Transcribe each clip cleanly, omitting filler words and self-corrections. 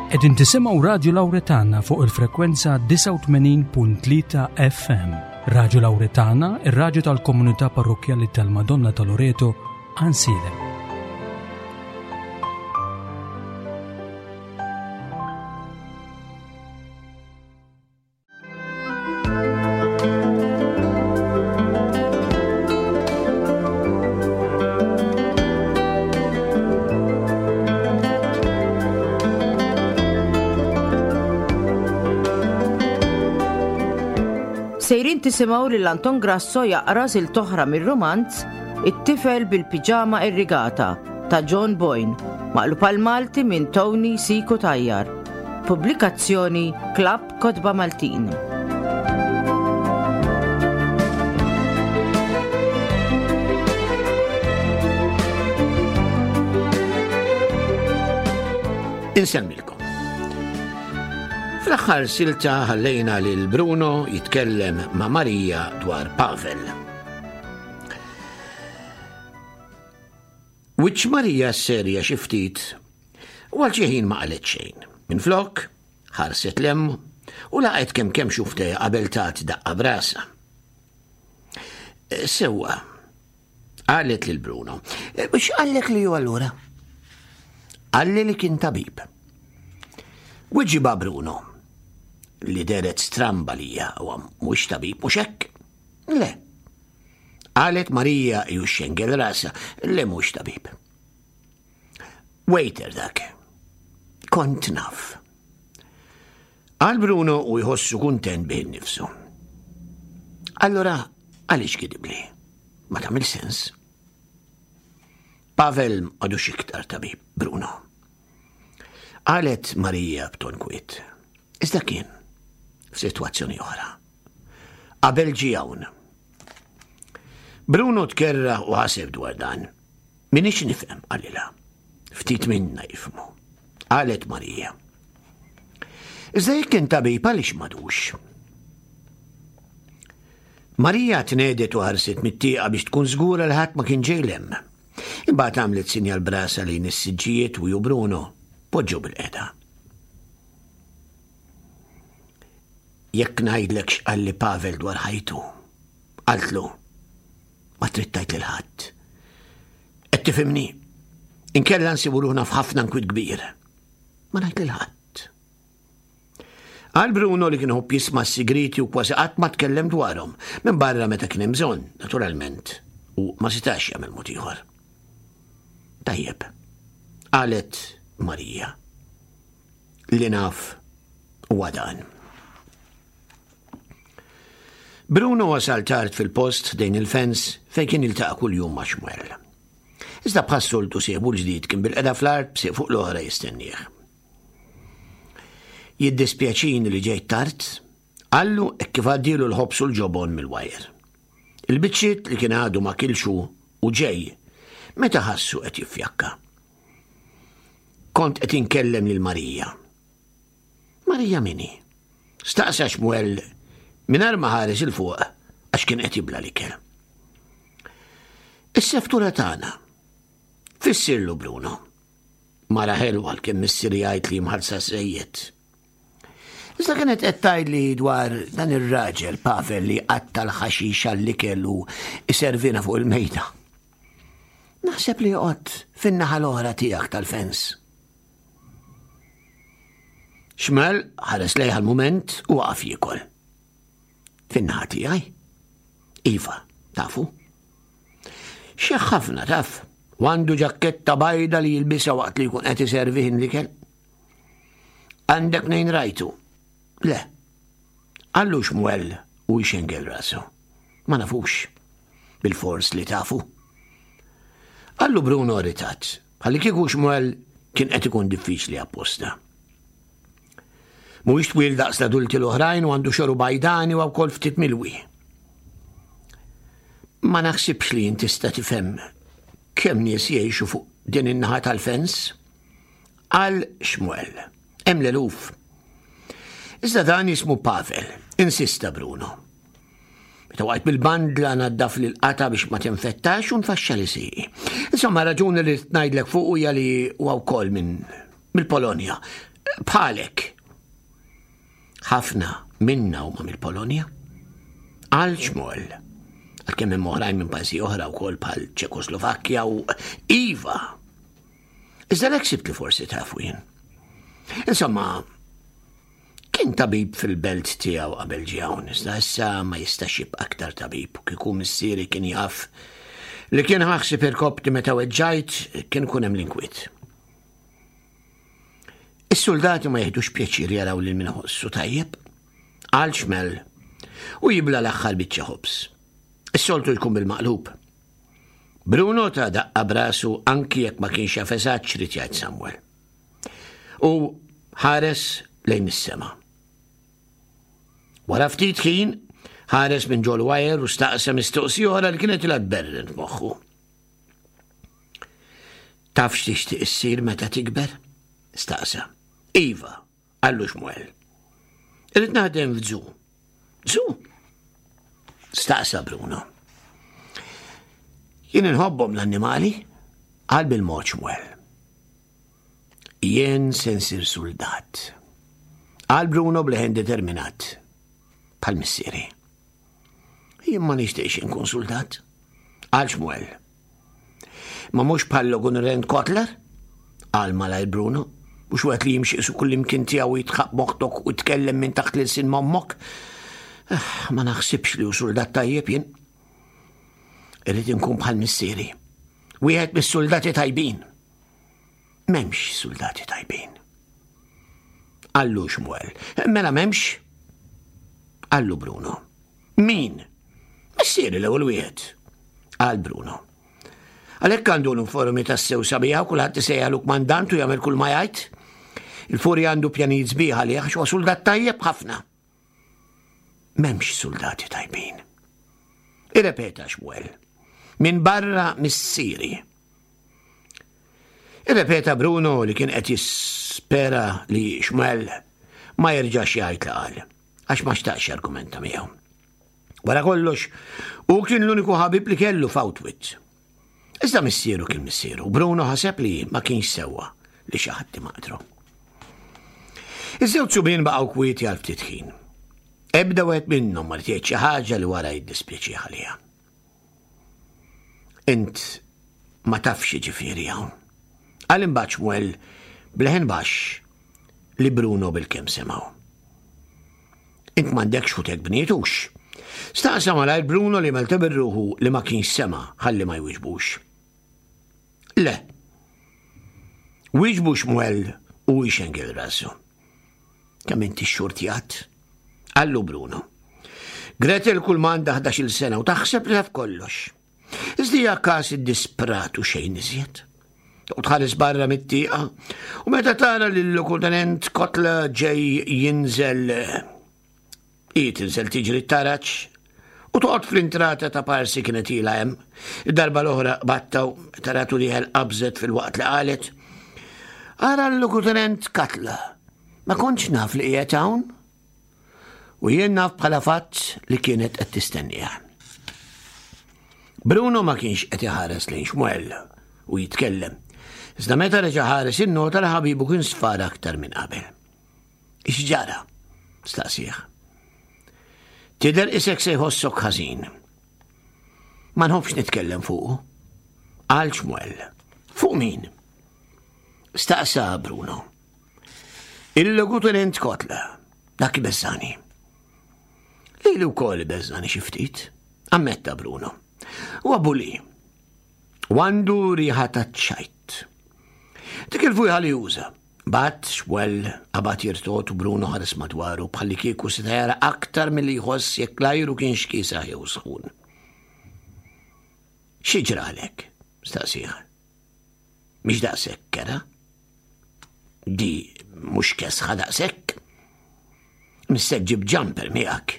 Qegħdin tisimgħu Radju Lawretana fuq il-frekwenza 89.3 FM. Radju Lawretana, ir-radju tal-komunità parrokkjali tal-Madonna ta' Loreto, Ansilem. Sejrin tisimgħu lil Anton Grasso jaqra silta oħra mir-rumanz It-tifel bil-piġama irrigata ta' John Boyne, maqlub għal Malti minn Tony Siku Tajjar. Pubblikazzjoni Klabb Kotba Maltin. Insemmilkom. Fl-aħħar silta ħallejna lil Bruno jitkellem ma' Marija dwar Pavel. Wiċċ Marija serja xi ftit u għal xi ħin ma qalet xejn. Minflok, ħarset 'l hemm u laqgħet kemm kemm xuftejha qabel tat daqqa b'rasha. Sewwa, qalet lil Bruno. X'qallek li hu allura? Qalli li kien tabib. Wiġiba Bruno, li dehret stramba lija huwa mhux tabib mhux hekk? Le. Qalet Marija ju xengel rasha, le mhux tabib. Waiter dak. Kont naf. Qal Bruno u jħossu kuntent bih innifsu. Allora, għaliex kidibli? Ma tagħmel sens. Pavel għadux iktar tabib, Bruno. Qalet Marija b'ton kwiet. Iżda kien f'sitwazzjoni oħra. Qabel ġie hawn. Bruno tkerra u ħaseb dwar dan. Minix nifhem, qalilha. Ftit minna jifhmu. Qalet Marija. Iżda jekk kien tabib għaliex madux? Marija tnedet u ħarset mit-tieqa biex tkun żgura li ħadd ma kien ġej lem. Imbagħad għamlet sinjal brasa lejn is-siġġijiet u ju Bruno poġġew bil-qeda. Jekk ngħidlek x'qalli Pavel dwar ħajtu, qaltlu, ma trid tgħid lil ħadd. Qed tifhimni? Inkella nsibu ruħna f'ħafna nkwiet kbir. Ma ngħid lil ħadd. Għal Bruno li kien ħobb jisma' s-sigriti u kważi qatt ma tkellem dwarhom, minn barra meta kien hemm bżonn, naturalment, u ma setax jagħmel mod ieħor. Tajjeb, qalet Marija. Li naf huwa dan. Bruno wasal tard fil-post ħdejn il-fens fejn kien jiltaqa' kuljum ma' Xmuel. Iżda bħas-soltu sieħbu l-ġdid kien bil-qeda fl-art b'sieq fuq l-oħra jistennieh. Jiddispjaċini li ġejt tard, qallu hekk kif għaddielu l-ħobż u l-ġobon mill-wajer. Il-biċċiet li kien għadu ma kilx hu u ġej meta ħassu qed jiffjakka. Kont qed inkellem lil Marija. Marija min hi? Staqsa Xmuel mingħajr ma ħares 'il fuq għax kien qed jibla' l-ikel. Is-seftura tagħna. Fissirlu Bruno. Mara ħelwa għalkemm missieri jgħid li mħallsa żejjed. Iżda kienet qed tgħidli dwar dan ir-raġel Pavel li qatta l-ħaxix għall-ikel u iservina fuq il-mejda. Naħseb li joqgħod fin-naħa l-oħra tiegħek tal-fens. Xmel ħares lejha l-mument u waqaf jiekol. Fin-naħa tiegħi? Iva, tafu. Xeħ ħafna taf, u għandu ġakketta bajda li jilbisha waqt li jkun qed iservi l-ikel. Għandek nejn rajtu? Le. Għallu xmuel u jxengel rasu. Ma nafux. Bil-fors li tafu. Għallu Bruno ritat, bħalli kieku xmuel kien qed ikun diffiċli apposta. Mhuwiex twil daqs l-adulti l-oħrajn u għandu xoru bajdani u wkoll ftit milwi. Ma naħsibx li inti tista' tifhem kemm nies jgħixu fuq din in-naħa tal-fens. Qal Xmuel. Hemm l-eluf. Iżda dan jismu Pavel, insista Bruno. Meta waqt bil-bandla naddaf lil qata biex ma tinfettax u nfaxxa li sieqi. Insomma, raġuni li ngħidlek fuq hija li huwa wkoll minn mill-Polonja. Bħalek. Ħafna minna huma mill-Polonja. Qal Xmuel. Għalkemm hemm oħrajn minn pajjiżi oħra wkoll bħal Ċekoslovakkja u Iva. Iżda l sibt li forsi tafu jien. Insomma, kien tabib fil-belt tiegħu qabel ġie hawn, iżda issa ma jistax jibqa' aktar tabib u kieku missieri kien jaf li kien ħaħsib irkopti meta weġġajt kien ikun hemm l-inkwiet. Is-suldati ma jiħdux pjaċir jaraw lil min iħossu tajjeb. Qal Xmel u jibla l-aħħar biċċa ħobż. Is-soltu jkun bil-maqlub. Bruno ta daqqa brasu anki jekk ma kienx jaf eżatt x'rid jgħid Samuel. U ħares lejn is-sema. Wara ftit ħin, ħares minn ġol wajer u staqsa mistoqsija oħra li kienet ilha tberren f'moħħu. Taf x'tixtieq issir meta tikber? Staqsa. Iva, qallu Xmuel. Irrid naħdem f'żu. Żu? Staqsa Bruno. Jien inħobbhom l-annimali, qal bil-mod Xmuel. Jien se nsir suldat. Qal Bruno bleħen determinat, bħal missieri. Jien ma nixtieqx inkun suldat. Qal Xmuel. Ma mhux bħal Logunrend Kotler? Qal malajr Bruno. Mhux wieħed li jimxi su kullimkien tiegħu jitħaq moħtok u tkellem minn taħt l-ilsien m'ommok. Eh, ma naħsibx li hu suldat tajjeb jien. Irrid inkun bħal missieri. Wieħed mis-suldati tajbin. M'hemmx suldati tajbin. Qallu Xmuel. Mela m'hemmx? Qallu Bruno. Min? Missieri l-ewwel wieħed. Qal Bruno. Għalhekk għandu l-uniformi tassew sabiħa u kulħadd isejjalu kmandant u jagħmel kull ma jgħid. Il-furi għandu pjanijiet sbieħ għalih għax huwa suldat tajjeb ħafna. M'hemmx suldati tajbin. Irrepeta Xmuel. Min barra missieri. Irrepeta Bruno li kien qed jispera li Xmuel ma jerġax jgħid li qal, għax ma xtaqx argumenta miegħu. Wara kollox, hu kien l-uniku ħabib li kellu f'Outwit. Iżda missieru kien missieru, Bruno ħaseb li ma kienx sewwa li xi ħadd imaqdru. Iż-żewġ subien baqgħu kwieti għal ftit ħin. Ebda wieħed minnhom ma jgħid xi ħaġa li wara jiddispjaċih għaliha. Int ma tafx ġifieri hawn. Qal imbagħad Xmuel bleħen baxx li Bruno bil-kemm semgħu. Int m'għandekx ħutek bnietux. Staqsa malajr Bruno li melta bir-ruħu li ma kienx sema' ħalli ma jwiġbux. Le. Wieġbu Xmuel u ixengel rasu. Kemm inti xurtjat? Qallu Bruno. Gretel kull ma għandha 11-il sena u taħseb li taf kollox. Iżda hija każ iddisprat u xejn iżjed. U tħares barra mit-tieqa u meta tara li l-lokutenent Kotla ġej jinżel hi tinżel tiġri t-taraġ u toqgħod fl-intrata ta' parsi kienet ilha hemm. Id-darba l-oħra battaw taratu liħel qabżet fil-waqt li qalet. Ara l-lokutenent Katla, ma kontx naf li qiegħed hawn. U jien naf bħala fatt li kienet qed tistenniha. Bruno ma kienx qed iħares lejn Xmuel u jitkellem. Iżda meta reġa' ħares innota li ħabibu kien sfar aktar minn qabel. X'ġara? Staqsih. Tidher isek se jħossok ħażin. Ma nħobbx nitkellem fuqu. Qal Xmuel. Fuq min? Staqsa Bruno. Il-logutenent Kotla, dak ibeżżani. Lili wkoll ibeżżani xi ftit, ammetta Bruno. Huwa buli. U għandu riħa ta' ċajt. Dik il-fujħa li juża. Bat, xwell, qabad jirtot u Bruno ħares madwaru bħalli kieku seta' jara aktar milli jħoss jekk l-ajru kienx kiesaħ jew sħun. Xi ġralek? staqsih. Mhix daqshekk kera. Di mhux kesħa daqshekk. Missek ġib jumper miegħek.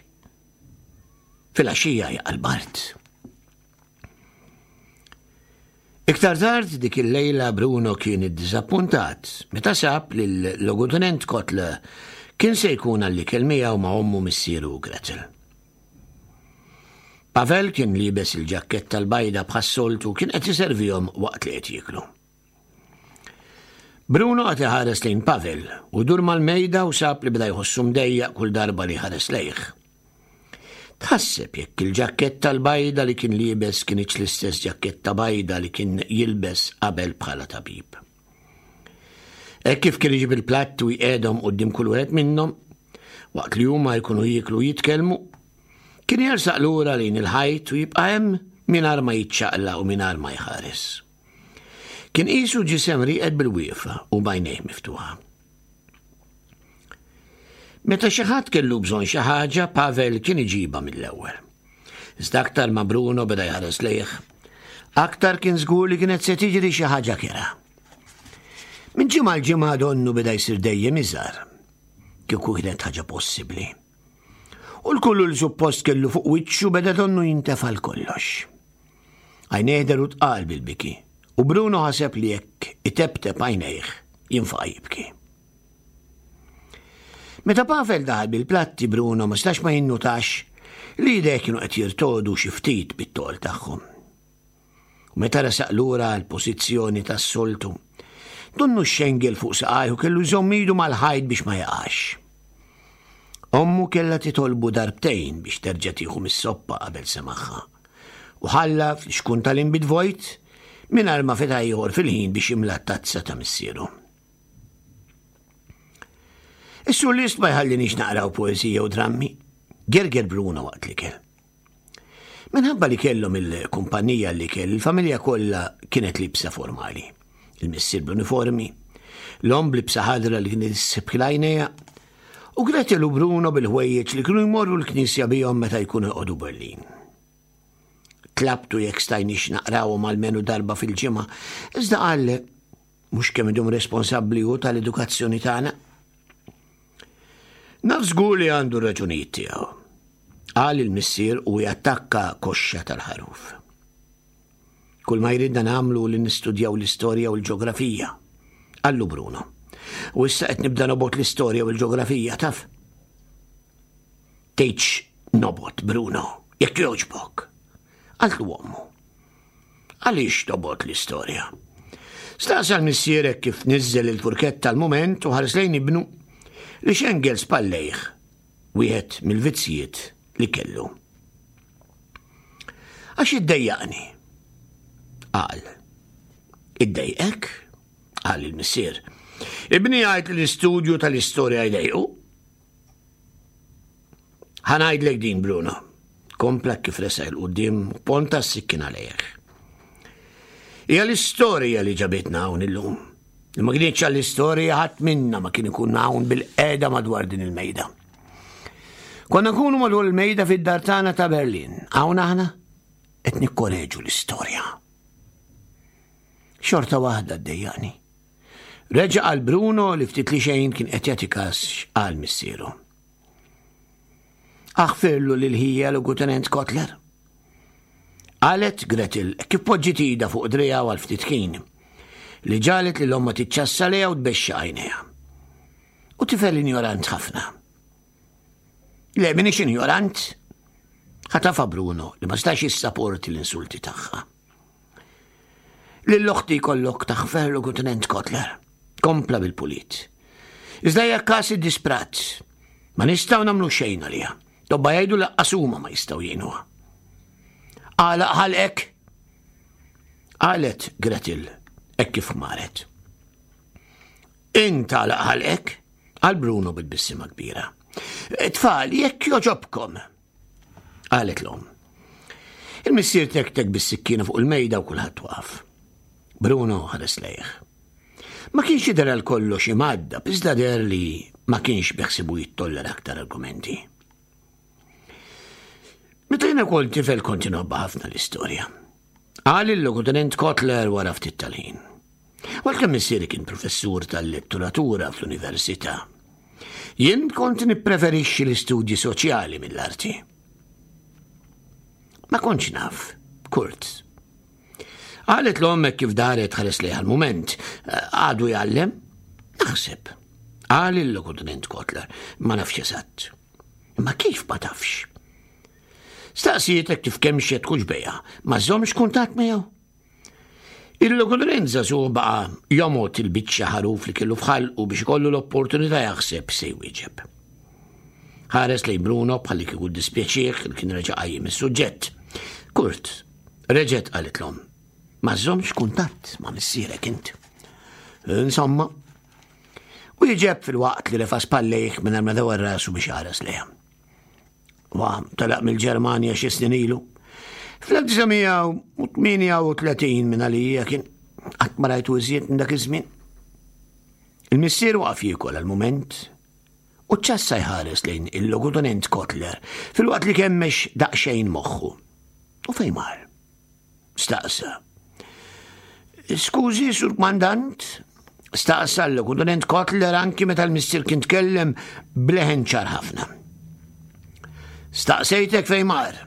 Filgħaxija jaqa' l-bard. Iktar tard dik il-lejla Bruno kien iddiżappuntat meta sab li l-logutenent Kotler kien se jkun għall-ikel miegħu ma' ommu missieru u Gretel. Pavel kien liebes il-ġakketta l-bajda bħas-soltu kien qed iservihom waqt li qed jieklu. Bruno qagħad iħares lejn Pavel u dur mal-mejda u sab li beda jħossu mdejjaq kull darba li ħares lejh. Tħasseb jekk il-ġakketta l-bajda li kien liebes kinitx l-istess ġakketta bajda li kien jilbes qabel bħala tabib. Hekk kif kien iġib il-platt u jqiegħdhom quddiem kull wieħed minnhom, waqt li huma jkunu jieklu u jitkellmu, kien jersaq lura lejn il-ħajt u jibqa' hemm mingħajr ma jiċċaqlaq u mingħajr ma jħares. Kien qisu ġisem rieqed bil-wieqfa u b'għajnejh miftuħa. Meta xi ħadd kellu bżonn xi ħaġa, Pavel kien iġibha mill-ewwel. Iżda aktar ma Bruno beda jħares lejh, aktar kien żgur li kienet se tiġri xi ħaġa kera. Minn ġimgħa l ġimgħa donnu beda jsir dejjem iżgħar. Kieku kienet ħaġa possibbli. U l-kullu li suppost kellu fuq wiċċu beda donnu jintefa' l-kollox. Għajnejh deru tqal bil-biki u Bruno ħaseb li jekk iteptep għajnejh jinfaqa' jibki. Meta Pavel daħal bil-platti Bruno ma stax ma jinnutax li jdejh kienu qed jirtodu xi ftit bit-tol tagħhom. U meta resaq lura għall-pożizzjoni tas-soltu, donnu xxengel fuq saqajh u kellu jżomm idu mal-ħajt biex ma jaqax. Ommu kellha titolbu darbtejn biex terġa' tieħu mis-soppa qabel semagħha. U ħalla fl-ixkun tal-inbid vojt mingħajr ma fetaħ ieħor fil-ħin biex jimla t-tazza ta' missieru. Is-sur List ma jħallinix naqraw poeżija u drammi, gerger Bruno waqt l-ikel. Minħabba li kellhom il-kumpanija li kell, il-familja kollha kienet libsa formali. Il-missier bl-uniformi, l-omm b'libsa ħadra li kienet issibħil għajnejha, u Gretel u Bruno bil-ħwejjeġ li kienu jmorru l-knisja bihom meta jkunu jqogħdu Berlin. Tlabtu jekk stajniex naqrawhom almenu darba fil-ġimgħa, iżda qal mhux kemm idum responsabbli hu tal-edukazzjoni tagħna. Naf żgur li għandu raġunijiet tiegħu. Qal il-missier u jattakka koxxa tal-ħaruf. Kull ma jridna nagħmlu li nistudjaw l-istorja u l-ġeografija. Qallu Bruno. U issa qed nibda nobgħod l-istorja u l-ġeografija, taf? Tgħidx nobgħod, Bruno, jekk jogħġbok. Qaltlu ommu. Għaliex tobgħod l-istorja? Staqsa l-missier hekk kif niżżel il-furketta l-mument u ħares lejn ibnu li xengel spallejh wieħed mill-vizzjiet li kellu. Għax iddejjaqni. Qal. Iddejqek? Qal il-missier. Ibni jgħid li l-istudju tal-istorja jdejqu. Ħa ngħidlek din, Bruno. Kompla kif resaq 'il quddiem u ponta s-sikkina lejh. Hija l-istorja li ġabitna hawn illum. Li ma kienx għall-istorja ħadd minna ma kien ikun hawn bil-qeda madwar din il-mejda. Konna nkunu madwar il-mejda fid-dar tagħna ta' Berlin. Hawn aħna qed nikkoreġu l-istorja. Xorta waħda ddejjaqni. Reġa' qal Bruno li ftit li xejn kien qed jagħti kas x'qal missieru. Aħfirlu lil ħija Lugutenent Kotler. Qalet Gretel kif poġġiet idha fuq driegħu għal ftit ħin, li ġagħlet lil ommha tiċċassa lejha u tbexxaq għajnejha. U tifel injorant ħafna. Le, minix injorant. Ħatafa Bruno li ma stax jissaporti l-insulti tagħha. Lil oħti jkollok taħfer Lugutenent Kotler. Kompla bil-pulit. Iżda hija każ iddisprat. Ma nistgħu nagħmlu xejn għaliha. Tobba jgħidu laqqas huma ma jistgħu jgħinuha. Għalaq ħalqek? Qalet Gretel hekk kif maret. Int għalaq ħalqek? Qal Bruno bit-tbissima kbira. Tfal, jekk joġobkom, Qalet l-omm. Il-missier tektek bis-sikkina fuq il-mejda u kulħadd waqaf. Bruno ħares lejh. Ma kienx jidher għal kollox imgħaddab, iżda deher li ma kienx beħsibu jittollera aktar argumenti. Meta jiena kont tifel kont inħobbha ħafna l-istorja. Qal il-Logutenent Kotler wara ftit tal-ħin. Għalkemm missieri kien professur tal-letteratura fl-università. Jien kont nippreferixxi l-istudji soċjali mill-arti. Ma kontx naf, Kurt. Qalet l-ommek kif daret ħares lejha l-mument. Għadu jgħallem? Naħseb. Qal il-Logutenent Kotler, ma nafx eżatt. Imma kif ma tafx? Staqsietek kif kemxet kuġbejha, ma żommx kuntatt miegħu? Il-logodorenza żagħżugħ baqa' jomgħod il-biċċa ħaruf li kellu f'ħalqu biex ikollu l-opportunità jaħseb se jwieġeb. Ħares lejn Bruno bħalli kieku ddispjaċih li kien reġa' qajjem is-suġġett. Kurt, reġgħet qalitlhom, ma żżommx kuntatt ma' missierek int. Insomma, wieġeb filwaqt li refa' spallejh mingħajr ma dawar rasu biex ħares lejha. Wa telaq mill-Ġermanja xi snin ilu. Fl-1938 minn għalija kien qatt ma rajtu iżjed minn dak iż-żmien. Il-missier waqaf jiekol għal mument u ċassa jħares lejn il-logutonent Kotler filwaqt li kemmex daqsxejn moħħu. U fejn mar? Staqsa. Skużi, sur kmandant, staqsa l-logutenent Kotler anki meta l-missier kien tkellem bleħen ċar ħafna. Staqsejtek fejn mar?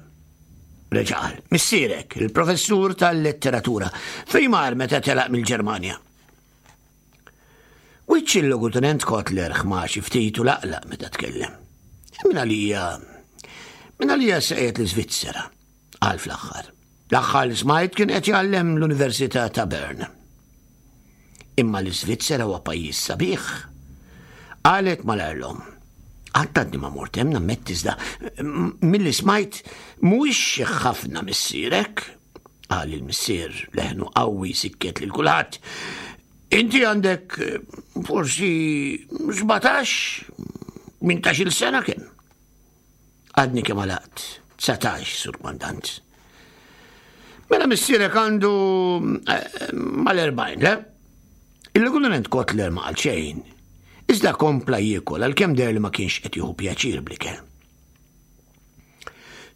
Reġa' qal, missierek, il-professur tal-letteratura, fejn mar meta telaq mill-Ġermanja? Wiċċ il-Logutenent Kotler ħma xi ftit u laqlaq meta tkellem. Min għalija, min għalija sejjed l-Iżvizzera, qal fl-aħħar. L-aħħar li smajt kien qed jgħallem l-Università ta' Bern. Imma l-Iżvizzera huwa pajjiż sabiħ. Qalet malajr l-omm. Qatt għadni ma mort hemm nammetti iżda milli smajt mhuwiex ħafna missierek, qal il-missier leħnu qawwi sikket lil kulħadd. Inti għandek forsi 17, 18-il sena kemm? Għadni kemm għalaqt, 19, sur kmandant. Mela missierek għandu eh, mal-40, le? Il-Lieutenant Kotler ma qal xejn, iżda kompla jiekol għalkemm deher li ma kienx qed jieħu pjaċir bl-ikel.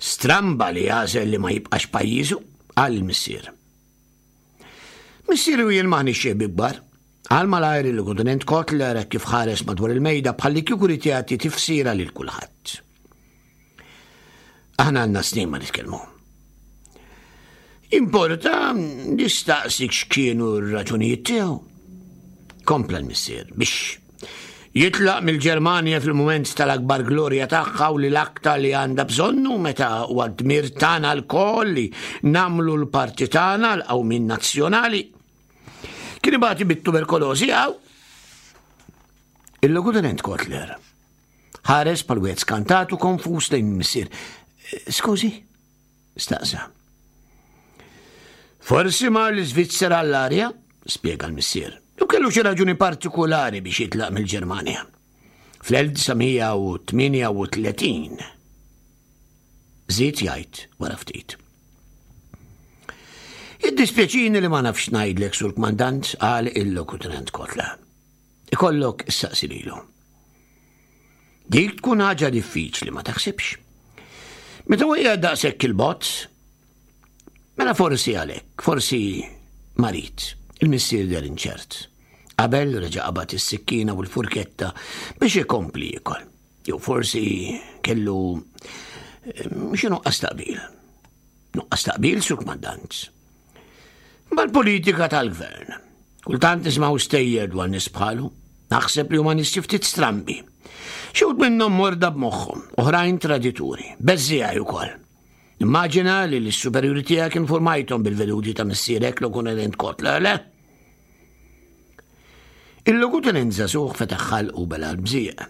Stramba li għażel li ma jibqax pajjiżu, qal il-missier. Missieri u jien m'aħniex xi ħbieb kbar. Qal malajr il-Lieutenant Kotler hekk kif ħares madwar il-mejda bħalli kieku ried jagħti tifsira lil kulħadd. Aħna għandna snin ma nitkellmu. Importa nistaqsik x'kienu r-raġunijiet tiegħu. Kompla l-missier biex jitlaq mill-Ġermanja fil-mument tal-akbar glorja tagħha u li l-aktar li għandha bżonnu meta huwa dmir tagħna lkoll li nagħmlu l-parti tagħna l-qawmien nazzjonali. Kien ibati bit-tuberkolożi għaw. Il-Logutenent Kotler ħares pal wieħed skantat u konfuż lejn il-missier. Skużi? Staqsa. Forsi mar l-Iżvizzera għall-arja, spjega l-missier. U kellu xi raġuni partikulari biex jitlaq mill-Ġermanja. Fl-1938 żied jgħid wara ftit. Iddispjaċini li ma nafx ngħidlek sur kmandant qal il-lokutenent Kotla. Ikollok issaqsi lilu. Dik tkun ħaġa diffiċli ma taħsibx. Meta huwa qiegħed daqshekk il-bot, mela forsi għalhekk, forsi marid, il-missier der inċert. Qabel reġa' qabad is-sikkina u l-furketta biex ikompli jiekol. Jew forsi kellu eh, xi nuqqas taqbil. Nuqqas taqbil sur kmandant. Mal-politika tal-gvern. Kultant nismgħu stejjer dwar nies bħalu. Naħseb li huma nies xi ftit strambi. Xi wħud minnhom morda b'moħħhom, oħrajn tradituri, beżżiegħi wkoll. Immaġina li l-superjuri tiegħek informajthom bil-veduti ta' missierek Logunenent Kotler, le? Il-Logutenent żagħżugħ fetaħ ħalqu bela l-bżieq,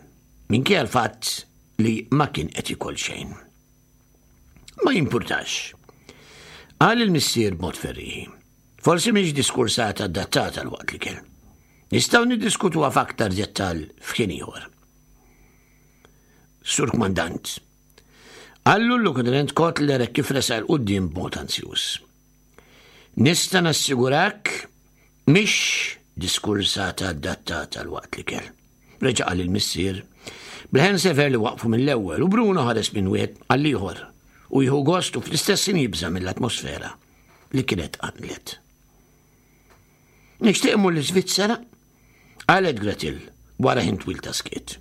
minkejja l-fatt li ma kien qed jiekol xejn. Ma jimpurtax. Qal il-missier b'mod ferrieħi. Forsi mhix diskursata adattata għal waqt l-ikel. Nistgħu niddiskutuha f'aktar dettall f'ħin ieħor. Sur Kmandant, qallu l-Lutenent Kotler hekk kif resaq 'il quddiem b'mod anzjuż. Nista' nassigurak mhix diskursata adattata għal waqt l-ikel. Reġa' qal il-missier, b'leħen sever li waqfu mill-ewwel u Bruno ħares minn wieħed għall-ieħor u jieħu gost u fl-istess ħin jibża' mill-atmosfera li kienet qanqlet. Nixtieq immur l-Iżvizzera, qalet Gretel wara ħin twil ta' skiet.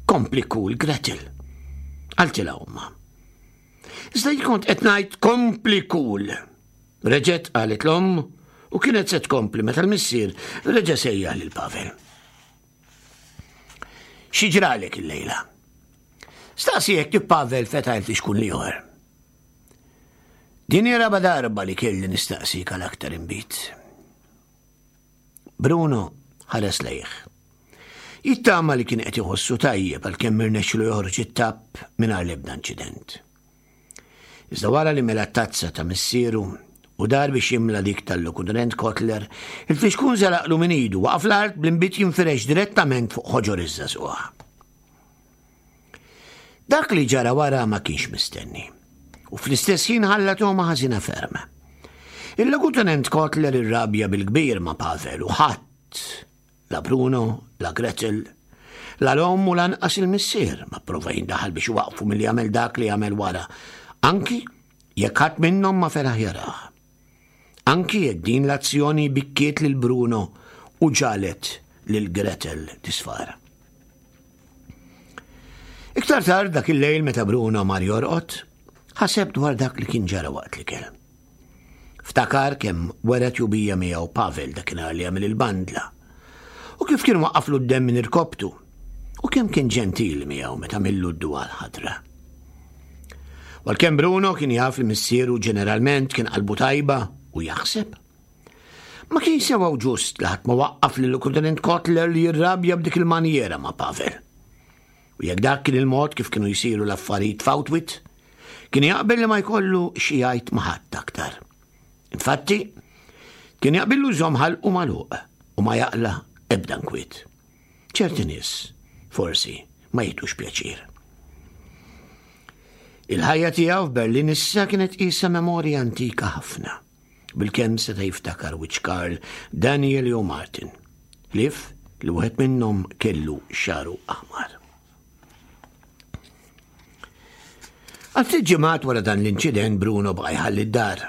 Kompli kul, Gretel, qaltilha ommha. Iżda jien kont qed ngħid kompli kul. Reġgħet qalet l-omm u kienet se tkompli meta l-missier reġa' sejjaħ lil Pavel. Xi ġralek illejla? Staqsi hekk kif Pavel fetaħ il-fixkun l-ieħor. Din hi raba' darba li kelli nistaqsik għal aktar inbid. Bruno ħares lejh. Jittama li kien qed iħossu tajjeb għalkemm irnexxilu joħroġ it-tapp mingħajr l-ebda inċident. Iżda wara li mela t-tazza ta' missieru u dar biex jimla dik tal-Lokutenent Kotler, il-fixkun żelaqlu minn idu waqaf l-art bl-inbid jinfirex direttament fuq ħoġor iż-żagħżugħ. Dak li ġara wara ma kienx mistenni. U fl-istess ħin ħalla togħma ħażina ferm. Il-Lokutenent Kotler irrabja bil-kbir ma' Pavel u ħadd, la Bruno, la Gretel, la l-omm u lanqas il-missier ma pprova jindaħal biex iwaqqfu milli jagħmel dak li għamel wara, anki jekk ħadd minnhom ma felaħ jarah. Anki jekk din l-azzjoni bikkiet lil Bruno u ġagħlet lil Gretel tisfar. Iktar tard dak il-lejl meta Bruno mar jorqod, ħaseb dwar dak li kien ġara waqt l-ikel. Ftakar kemm wera tjubija miegħu Pavel dakinhar li għamel il-bandla, u kif kien waqqaflu d-demm minn irkoptu, u kemm kien ġentili miegħu meta millu d-duwa l-ħadra. Għalkemm Bruno kien jaf li missieru ġeneralment kien qalbu tajba u jaħseb, Ma kienx sewa u ġust li ħadd ma waqqaf lil Lieutenant Kotler li jirrabja b'dik il-manjiera ma' Pavel. U jekk dak kien il-mod kif kienu jsiru l-affarijiet f'Outwit, kien jaqbel li ma jkollu xi jgħid ma' ħadd aktar. Infatti, kien jaqbillu jżomm ħalqu magħluq u ma jaqla' ebda nkwiet. Ċerti nies, forsi, ma jieħdux pjaċir. Il-ħajja tiegħu f'Berlin issa kienet qisha memorja antika ħafna. Bilkemm seta' jiftakar wiċċ Karl, Daniel jew Martin, ħlief li wieħed minnhom kellu xagħru aħmar. Għal ftit ġimgħat wara dan l-inċident Bruno baqa' jħalli d-dar.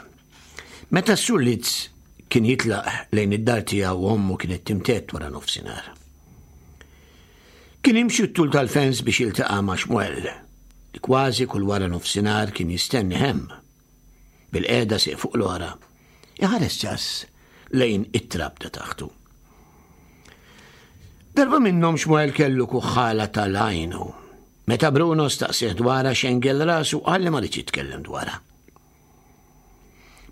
Meta s-Sur Litz kien jitlaq lejn id-dar tiegħu ommu kienet timtedd wara nofsinhar. Kien jimxi t-tul tal-fens biex jiltaqa' ma' Xmuel, li kważi kull wara nofsinhar kien jistenni hemm. Bilqiegħda sieq fuq l-oħra, iħares ċass lejn it-trab ta' taħtu. Darba minnhom Xmuel kellu kuħħala tal-għajnu. Meta Bruno staqsih dwarha xengel rasu qal li ma ridx jitkellem dwarha.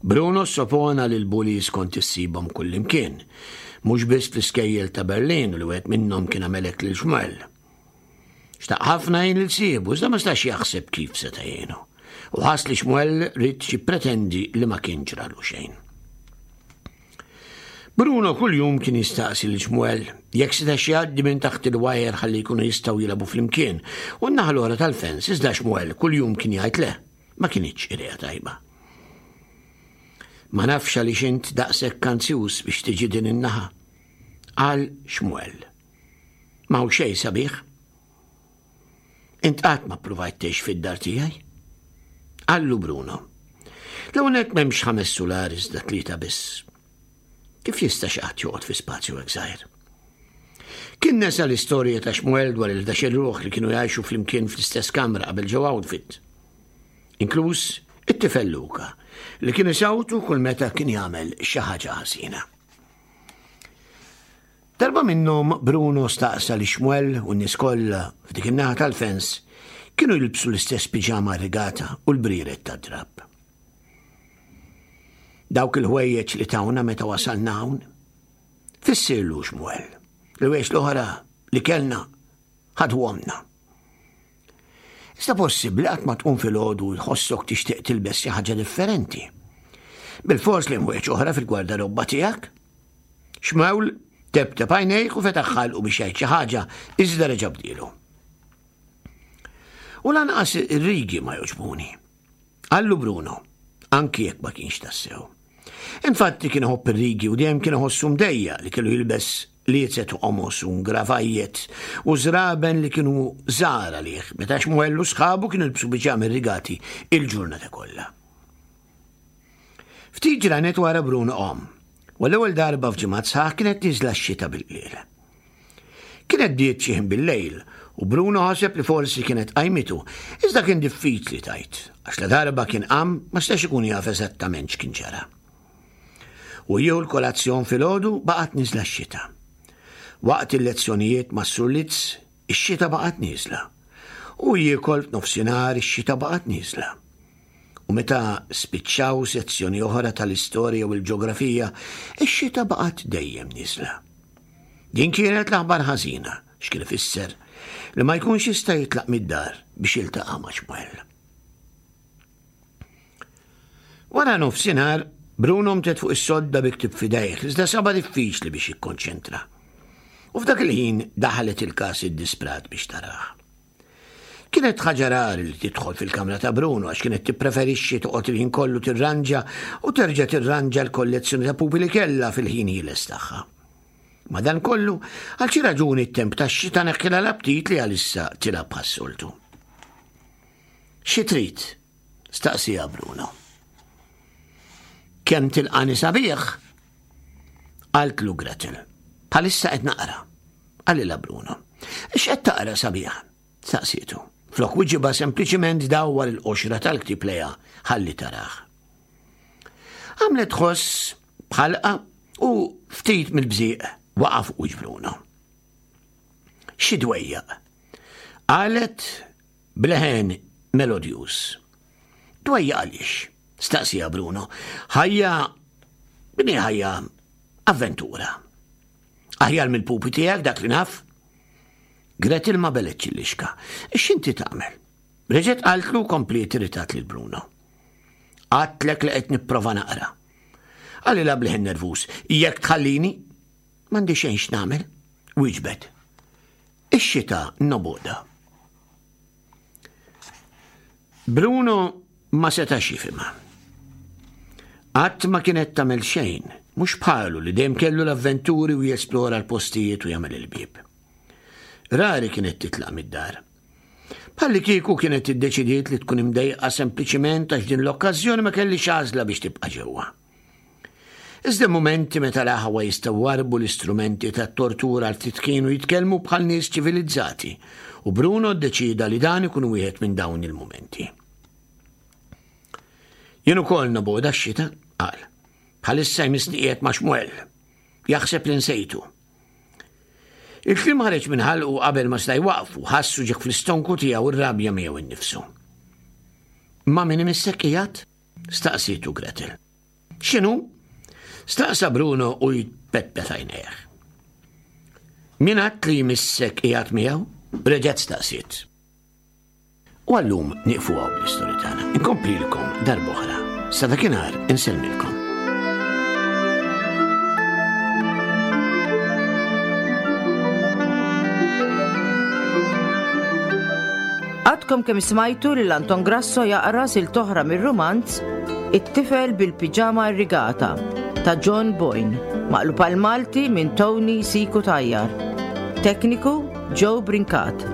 Bruno sopona li l-bullies kont issibhom kullimkien, mhux biss fl-iskejjel ta' Berlin u li wieħed minnhom kien għamel hekk lil Xmuel. Xtaq ħafna jgħin lil sieħbu, iżda ma stax jaħseb kif seta' jgħinu. U ħass li Xmuel ried jippretendi li ma kien ġralu xejn. Bruno kuljum kien jistaqsi lil Xmuel jekk setax jgħaddi minn taħt il-wajer ħalli jkunu jistgħu jilagħbu flimkien u n-naħa l-oħra tal-fens iżda Xmuel kuljum kien jgħid le, ma kinitx idea tajba. Ma nafx għaliex int daqshekk anzjuż biex tiġi din in-naħa, qal Xmuel. Ma hu xejn sabiħ. Int qatt ma ppruvajt tgħix fid-dar tiegħi? Qallu Bruno. L-ewwel nett m'hemmx ħames sular iżda tlieta biss. Kif jista' xi ħadd joqgħod fi spazju hekk żgħir? Kien nesa l-istorja ta' Xmuel dwar il-11 ruħ li kienu jgħixu flimkien fl-istess kamra qabel ġew outfit. Inkluż it-tifel Luka li kien isawtu kull meta kien jagħmel xi ħaġa ħażina. Darba minnhom Bruno staqsa li Xmuel u n-nies kollha f'dik in-naħa tal-fens kienu jilbsu l-istess piġama rigata u l-brieret tad-drapp. Dawk il-ħwejjeġ li tawna meta wasalna hawn? Fissirlu Xmuel, l-ħwejjeġ l-oħra li kellna ħadwomna. Iżda possibbli qatt ma tqum filgħodu u tħossok tixtieq tilbes xi ħaġa differenti. Bilfors li hemm oħra fil-gwardarobba tiegħek. Xmewl tebteb għajnejh u fetaħ ħalqu biex jgħid xi ħaġa, iżda reġa' bdielu. U lanqas ir-rigi ma jogħġbuni. Qallu Bruno, anki jekk ma kienx tassew. Infatti kien iħobb ir-rigi u dejjem kien iħossu mdejjaq li kellu jilbes liezet u qomos u ngravajjet u żraben li kienu żgħar għalih meta Xmuel u sħabu kienu jilbsu biġami rrigati il-ġurnata kollha. Ftit ġranet wara Bruno qam, u għall-ewwel darba f'ġimgħat sħaħ kienet nieżla x-xita bil-qliel. Kienet bdiet xi ħin bil-lejl u Bruno ħaseb li forsi kienet qajmitu, iżda kien diffiċli tgħid, għax ladarba kien qam ma setax ikun jaf eżattament x'kien ġara. U jieħu l-kolazzjon filgħodu baqgħet nieżla x-xita. Waqt il-lezzjonijiet mas-Sur Litz, ix-xita baqgħet nieżla. U jiekol f'nofsinhar ix-xita baqgħet nieżla. U meta spiċċaw sezzjoni oħra tal-istorja u l-ġeografija, ix-xita baqgħet dejjem nieżla. Din kienet l-aħbar ħażina, x'kien ifisser li ma jkunx jista' jitlaq mid-dar biex jiltaqa' ma' Xmuel. Wara nofsinhar, Bruno mtet fuq is-sodda bi ktieb f'idejh, iżda saba diffiċli biex jikkonċentra. U f'dak il-ħin daħlet il-każ iddisprat biex tarah. Kienet ħaġa rari li tidħol fil-kamra ta' Bruno għax kienet tippreferixxi toqgħod il-ħin kollu tirranġa u terġa' tirranġa l-kollezzjoni ta' pupi li kellha fil-ħin ħieles tagħha. Madankollu, għal xi raġuni t-temp tax-xita neħħilha l-aptit li għalissa tilgħab bħas-soltu. Xi trid? staqsieha Bruno. Kemm tilqani sabiħ? Qaltlu Gretel. Bħalissa qed naqra. Qalilha Bruno. X'qed taqra sabiħ? Staqsietu. Flok wiġiba sempliċiment dawwar il-qoxra tal-ktieb lejha ħalli tarah. Għamlet ħoss bħalqa u ftit mill-bżieq waqa' fuq wiċċ Bruno. Xi dwejjaq. Qalet b'leħen melodjuż. Dwejjaq għaliex? Staqsieha Bruno. Ħajja din hi ħajja avventura. Aħjar mill-pupi tiegħek dak li naf? Gretel ma beletx il-lixka. X'inti tagħmel? Reġgħet qaltlu kompliet irritat lil Bruno. Għadtlek li qed nipprova naqra. Qalilha b'leħen nervuż, jekk tħallini, m'għandi xejn x'nagħmel. Wieġbet. Ix-xita nobgħodha. Bruno ma setax jifhimha. Qatt ma kienet tagħmel xejn, mhux bħalu li dejjem kellu l-avventuri u jesplora l-postijiet u jagħmel il-bieb. Rari kienet titlaq mid-dar. Bħalli kieku kienet iddeċidiet li tkun imdejqa sempliċiment għax din l-okkażjoni ma kellix għażla biex tibqa' ġewwa. Iżda mumenti meta l-aħwa jistgħu warbu l-istrumenti tat-tortura għal ftit kienu jitkellmu bħal nies ċivilizzati u Bruno ddeċieda li dan ikun wieħed minn dawn il-mumenti. Jien ukoll nobgħodha x-xita, qal. Bħalissa jmissni qiegħed ma' Xmuel. Jaħseb li nsejtu. Il-kliem ħareġ minn ħalqu qabel ma seta' jwaqfu, ħassu ġek fl-istonku tiegħu r-rabja miegħu innifsu. Ma' min imissek qiegħed? Staqsietu Gretel. X'inhu? Staqsa Bruno u jpetpet għajnejh. Min għad li jmissek qiegħed miegħu? Reġgħet staqsiet. U għallum nieqfu hawn bl-istorja tagħna. Inkomplilkom darb'oħra. Sa dakinhar insellmilkom. Għadkom kemm smajtu lil Anton Grasso jaqra silt oħra mir-rumanz It-tifel bil-piġama irrigata ta' John Boyne, maqlub għal Malti minn Tony Siku Tajjar. Tekniku Joe Brincat.